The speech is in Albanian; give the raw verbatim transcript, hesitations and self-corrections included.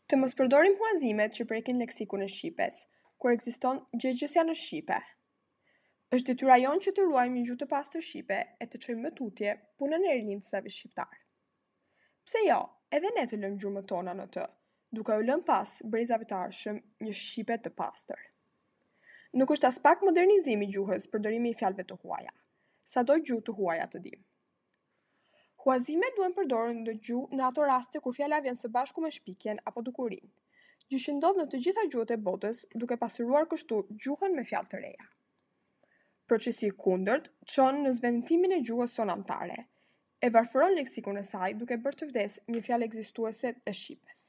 Të mos përdorim huazimet që prekin leksikun e shqipes, kur ekziston gjegjësja në shqipe. Është detyra jonë që të ruajmë një gjuhë të pastër shqipe e të çojmë më tutje punën e rilindësve shqiptarë. Pse jo, edhe ne të lëmë gjurmët tona në të, duke u lënë pas brezave të ardhshëm një shqipe të pastër. Nuk është aspak modernizim i gjuhës përdorimi i fjalëve të huaja, sado gjuhë të huaja të dimë. Huazimet duhen përdorur në gjuhë në ato raste kur fjala vjen së bashku me shpikjen apo dukurinë, gjë që ndodh në të gjitha gjuhët e botës, duke pasuruar kështu gjuhën me fjalë të reja. Procesi i kundërt çon në zvendëtimin e gjuhës sonë amtare, e varfëron leksikun e saj duke bërë të vdesë një fjalë ekzistuese e shqipes.